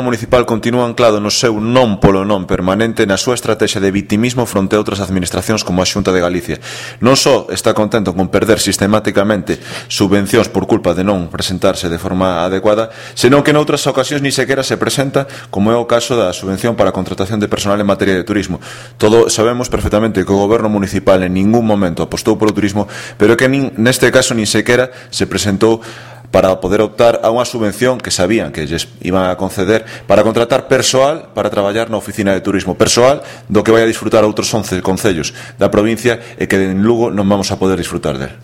municipal continúa anclado no seu non polo non permanente na súa estrategia de victimismo fronte a outras administracións como a Xunta de Galicia. Non só está contento con perder sistemáticamente subvencións por culpa de non presentarse de forma adecuada, senón que noutras ocasións ni sequera se presenta, como é o caso da subvención para a contratación de personal en materia de turismo. Todos sabemos perfectamente que o goberno municipal en ningún momento apostou polo turismo, pero que neste caso nin sequera se presentou para poder optar a unha subvención que sabían que lles iban a conceder para contratar persoal para traballar na oficina de turismo, persoal do que vai a disfrutar outros 11 concellos da provincia e que en Lugo non vamos a poder disfrutar del.